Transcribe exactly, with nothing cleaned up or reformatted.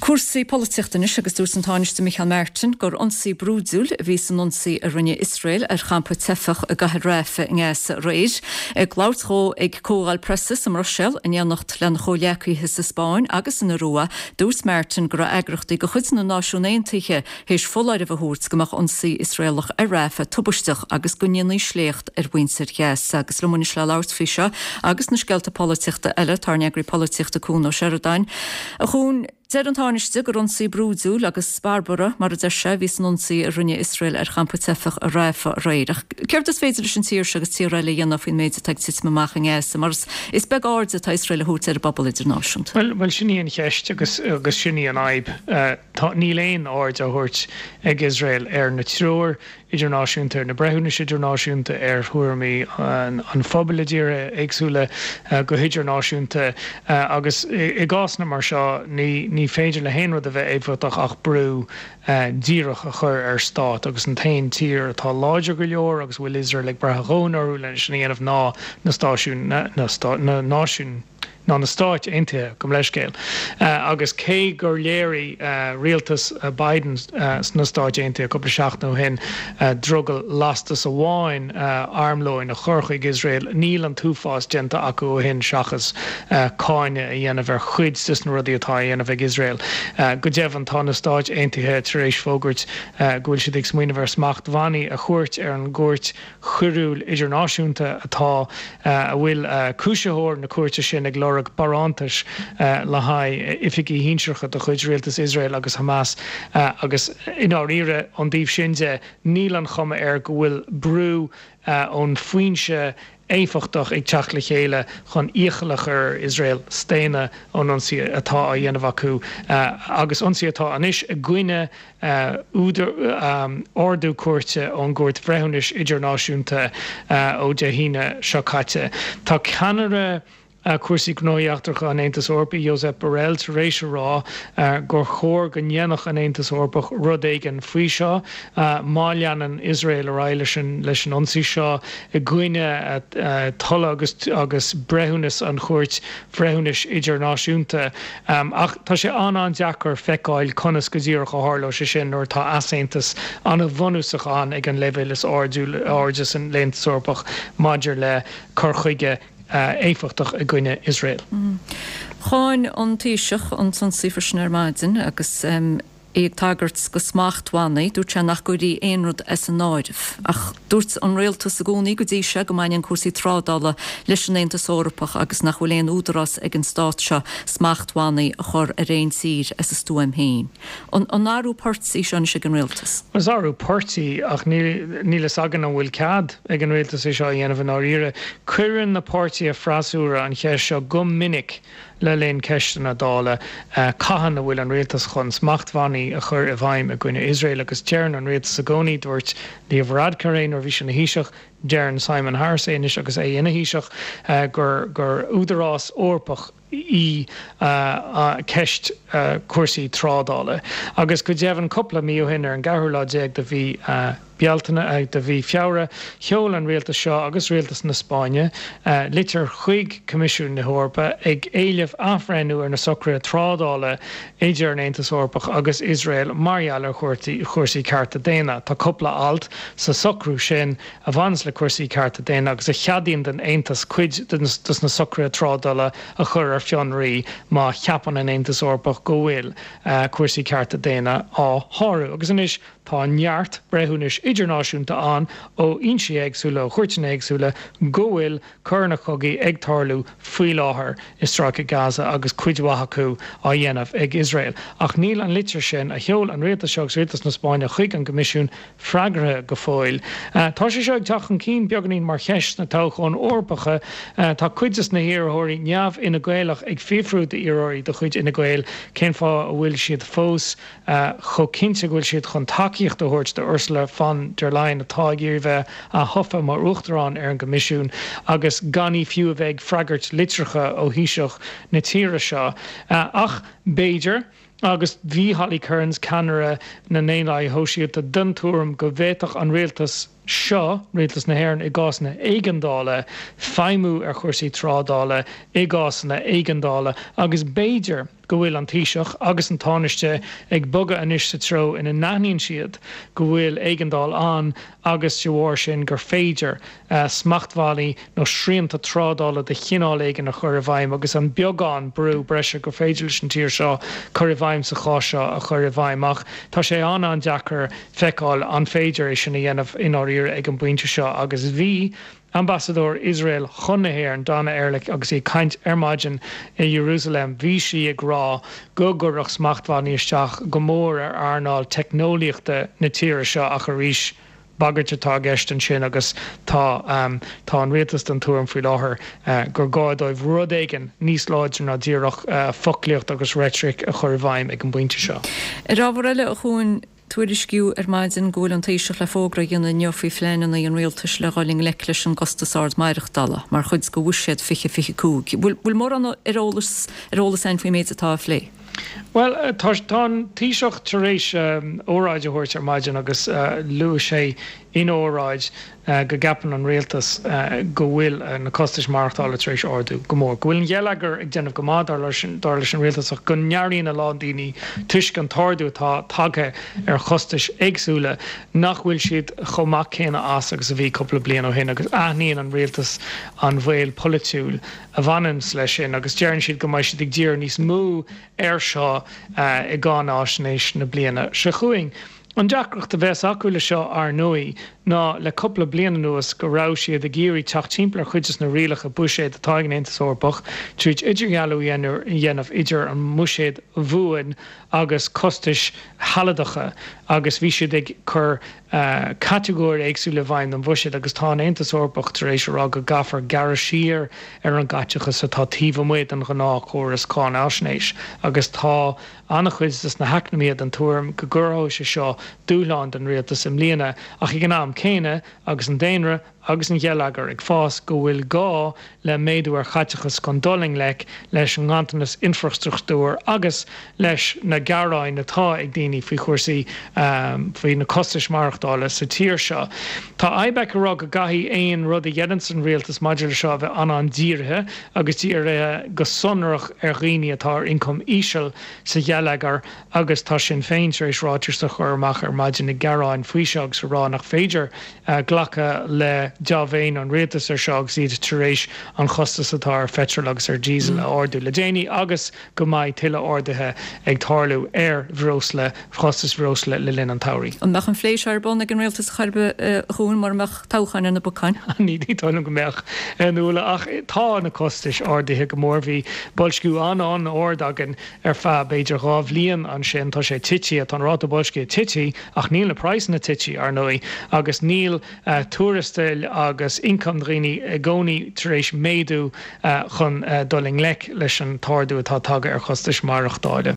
Cúrsaí polaitíochta anois agus dúirt an Tánaiste Micheál Martin gur ionsaí brúidiúil a bhí san ionsaí a rinne Iosrael ar champa teifeach i gcathair Rafah i nGaza aréir. Ag labhairt dó ag comhdháil preasa sa mBruiséil in éineacht lena chomhghleacaithe sa Spáinn agus san Iorua, dúirt Martin go raibh eagraíochtaí de chuid na Náisiún Aontaithe théis foláireamh a thabhairt go mbeadh ionsaí Iosraelach ar Rafah tubaisteach agus go ndéanfaí sléacht ar mhuintir Ghaza agus liom anois le labhairt faoi seo agus na scéalta polaitíochta eile tá ár n-eagraí polaitíochta Cuan Ó Seireadáin. A Chuain Deir an Tánaiste gur ionsaí brúidiúil agus barbartha mar a deir sé a bhí san ionsaí a rinne Iosrael ar champa teifeach i Rafah aréir. Ach céard is féidir leis an tír seo agus tíortha eile a dhéanamh faoin méid atá ag titim amach i nGaza, mar is beag aird atá Iosrael a thabhairt ar an bpobal idirnáisiúnta. Well well sin í an cheist agus agus sin í an fhadhb. Uh, tá níl aon aird á thabhairt ag Iosrael ar na treoir idirnáisiúnta ar na breithiúnais idirnáisiúnta ar thuairimí an, an phobail i dtíortha éagsúla uh, go hidirnáisiúnta uh, agus i, i gcásanna mar seo ní, ní féidir le haon rud a bheith éifeachtach ach brú uh, díreach a chur ar stát agus an t-aon tír atá láidir go leor agus bhfuil Iosrael ag brath orthu lena sin a dhéanamh ná na stáisiún na, na, stá, na náisiún ná na Stáit Aontaithe gabh mo leithscéal. Uh, agus cé gur léirigh uh, rialtas uh, Biden uh, sna Stáit Aontaithe cúpla seachtain ó shin uh, drogall lastas amháin uh, armlóin a chur chuig Iosrael níl an t-uafás déanta acu ó shin seachas uh, cáineadh a dhéanamh ar chuid de na rudaí atá á dhéanamh ag Iosrael. Uh, go deimhin tá na Stáit Aontaithe tar éis fógairt uh, go bhfuil siad ag smaoineamh ar smachtbhannaí a chur ar an gCúirt Choiriúil Idirnáisiúnta atá uh, a bhfuil uh, cúisitheoir na cúirte sin ag lorg barántais uh, le haghaidh oifigigh shinsearacha de chuid rialtas Iosrael agus Hamas uh, agus i ndáiríre ón dtaobh sin de níl an chuma air go bhfuil brú uh, ón foinse éifeachtach ag teacht le chéile chun iachall a chur ar Iosrael staonadh ón ionsaí atá á dhéanamh acu uh, agus ionsaí atá anois i gcoinne uh, údar um, ordú cúirte ón gCúirt Bhreithiúnais Idirnáisiúnta uh, ó Dé hAoine seo caite. Tá ceannaire Uh, cúrsaí gnóthaí eachtracha an Aontais Eorpaigh Josep Borrell tar éis a rá uh, gur chóir go ndéanfadh an Aontas Eorpach rud éigin faoi seo uh, má leanann Iosrael ar aghaidh leis an leis an ionsaí seo i gcoinne uh, toil agus agus breithiúnas an Chúirt Bhreithiúnais Idirnáisiúnta um, ach tá sé an-an-deacair feiceáil conas go díreach a tharlódh sé sin nuair tá easaontas an-bhunúsach ann ag an leibhéal is airde san Aontas Eorpach maidir le cur chuige uh, éifeachtach i gcoinne Iosrael. Mm. Cháin an Taoiseach an t-ionsaí freisin ar maidin agus um, é ag tagairt do smachtbhannaí, dúirt sé nach gcuirfí aon rud as an áireamh. Ach dúirt an rialtas i gcónaí go dtí seo go mbaineann cúrsaí trádála leis an Aontas Eorpach agus nach bhfuil aon údarás ag an stát seo smachtbhannaí a chur ar aon tír as a stuaim féin. An an athrú poirt í seo ag an rialtas? Is athrú poirt í ach níl a fhios againn an bhfuil cead ag an rialtas é seo a dhéanamh i ndáiríre. Cuireann na páirtithe freasúra an cheist seo go minic le linn ceisteanna Dála uh, cathain a bhfuil an rialtas chun smachtbhannaí a chur i bhfeidhm i gcoinne Iosrael agus deireann an rialtas i gcónaí dúirt Leo Varadkar é nuair a bhí sé ina Thaoiseach deireann Simon Harris é anois agus é ina Thaoiseach uh, gur gur údarás Eorpach í uh, uh, ceist uh, cúrsaí trádála. Agus go deimhin cúpla mí ó shin ar an gceathrú lá déag de mhí uh, Bealtaine uh, de mhí Feabhra, sheol an rialtas seo agus rialtas na Spáinne uh, litir chuig Coimisiún na hEorpa ag éileamh athbhreithniú ar na socruithe trádála idir an Aontas Eorpach agus Iosrael mar gheall ar chúrsaí cearta daonna. Tá cúpla alt sa socrú sin a bhaineann le cúrsaí cearta daonna agus a cheadaíonn don Aontas cuid de na socruithe trádála a chur ar fionraí má cheapann an Aontas Eorpach go bhfuil uh, cúrsaí cearta daonna á sárú. Agus anois tá neart breithiúnais idirnáisiúnta ann ó fhoinsí éagsúla ó chúirteanna éagsúla go bhfuil coireanna cogaidh ag tarlú faoi láthair i Stráice Gaza agus cuid mhaith acu á dhéanamh ag Iosrael. Ach níl an litir sin a sheol an rialtas seo agus rialtas na Spáinne chuig an gCoimisiún freagartha go fóill. Uh, tá sé seo ag teacht chun cinn beagáinín mar cheist sna toghcháin Eorpacha uh, tá cuid de na hiarrthóirí neamh-Fhine Gaelach ag fiafraí d'iarrthóirí de chuid Fhine Gael cén fáth a bhfuil siad fós uh, chomh cinnte go bhfuil siad chun tacaíocht a thabhairt do Ursula von der Leyen atá ag iarraidh bheith atofa mar uachtarán ar an gCoimisiún agus gan í fiú a bheith ag freagairt litreacha ó Thaoiseach na tíre seo. Uh, ach b'fhéidir, agus bhí Holly Cairns ceannaire na nDaonlathaithe Sóisialta den tuairim go bhféadfadh an rialtas seo, Rialtas na hÉireann, i gcásanna éigeandála, feidhmiú ar chúrsaí trádála i gcásanna éigeandála agus b'fhéidir go bhfuil an Taoiseach agus an Tánaiste ag bogadh anois sa treo ina n-aithníonn siad go bhfuil éigeandáil ann agus de bharr sin gur féidir smachtbhannaí nó srianta trádála de chineál éigin a chur i bhfeidhm agus an beagán brú breise gur féidir leis an tír seo cur i bhfeidhm sa chás seo a chur i bhfeidhm. Ach tá sé an-an-deacair feiceáil an féidir é sin a dhéanamh i ndáiríre ag an bpointe seo agus bhí Ambasadóir Iosrael chun na hÉireann, Dana Erlich, agus í ag caint ar maidin i Iarúsailéim, bhí sí ag rá go gcuirfeadh smachtbhannaí isteach go mór ar earnáil teicneolaíochta na tíre seo ach arís, bagairt atá i gceist ansin agus tá tá an rialtas den tuairim faoi láthair gur gá dóibh rud éigin níos láidre ná díreach foclaíocht agus reitric a chur i bhfeidhm ag an bpointe seo. Ar ábhar eile, a Chuain, tuairiscíodh ar maidin go bhfuil an Taoiseach le fógra a dhéanamh inniu faoi phleananna an rialtais le dhul i ngleic leis an gcostas ard maireachtála mar chuid de Bhuiséad fiche fiche cúig. Bhfuil mórán ar eolas ar eolas againn faoin méid atá á phlé? Bhuel, tá tá an Taoiseach tar éis óráid a thabhairt ar maidin agus luaigh sé ina óráid go gceapann an rialtas go bhfuil na costais maireachtála tar éis ardú go mór, go bhfuil an geilleagar ag déanamh go maith dar leis dar leis an rialtas ach go n-airíonn a lán daoine toisc an t-ardú atá tagtha ar chostais éagsúla nach bhfuil siad chomh maith céanna as agus a bhí cúpla bliain ó shin agus aithníonn an rialtas an bhaol polaitiúil a bhaineanns leis sin agus deireann siad go mbeidh siad ag díriú níos mó air seo i gcáináisnéis na bliana seo chugainn. An deacracht a bheas acu le seo, ar ndóigh, ná le cúpla bliain anuas go raibh siad ag iarraidh teacht timpeall ar chuid des na rialacha buiséid atá ag an Aontas Eorpach tríd idirdhealú a dhéanamh idir an mbuiséad bhuan agus costais shealadacha agus bhí siad ag cur catagóirí éagsúla i bhfeidhm don bhuiséad agus tá an Aontas Eorpach tar éis a rá go gcaithfear gearradh siar ar an gcaiteachas atá taobh amuigh den ghnáthchóras cáinaisnéis agus tá an-chuid de na heacnamaithe den tuairim go gcruthóidh sé seo dúshlán don rialtas i mbliana ach ag an am céanna agus an daonra agus an geilleagar ag fás, go bhfuil gá le méadú ar chaiteachas chun dul i ngleic leis an nganntanas infreastruchtúir agus leis na gearáin atá ag daoine faoi chúrsaí, faoi na costais maireachtála sa tír seo. Tá IBEC ag rá go gcaithfidh aon rud a dhéananns an rialtas maidir le seo a bheith an-an-dírithe agus dírithe go sonrach ar dhaoine atá ar ioncam íseal sa gheilleagar agus tá Sinn Féin tar éis ráiteas a chur amach ar maidin ag gearán faoi seo agus a rá nach féidir glacadh le dea-mhéin an rialtais ar seo agus iad tar éis an chostas atá ar pheitreal agus ar diesel a ardú le déanaí agus go mbeidh tuilleadh arduithe ag tarlú ar bhreosla, chostas bhreosla le linn an tsamhraidh. An mbeadh an phlé seo ar bun ag an rialtas chor ar bith, a Chuain, mura mbeadh toghchán ar na bacáin? Ní dóigh liom go mbeadh, a Nuala, ach tá na costais ardaithe go mór. Bhí boilsciú an-an-ard againn ar feadh b'fhéidir dhá bhliain ansin. Tá sé tite, tá an ráta boilscithe tite ach níl na praghsanna tite, ar ndóigh, agus níl tuarastail agus ioncam daoine i gcónaí tar éis méadú chun dul i ngleic leis an t-ardú atá tagtha ar chostais maireachtála.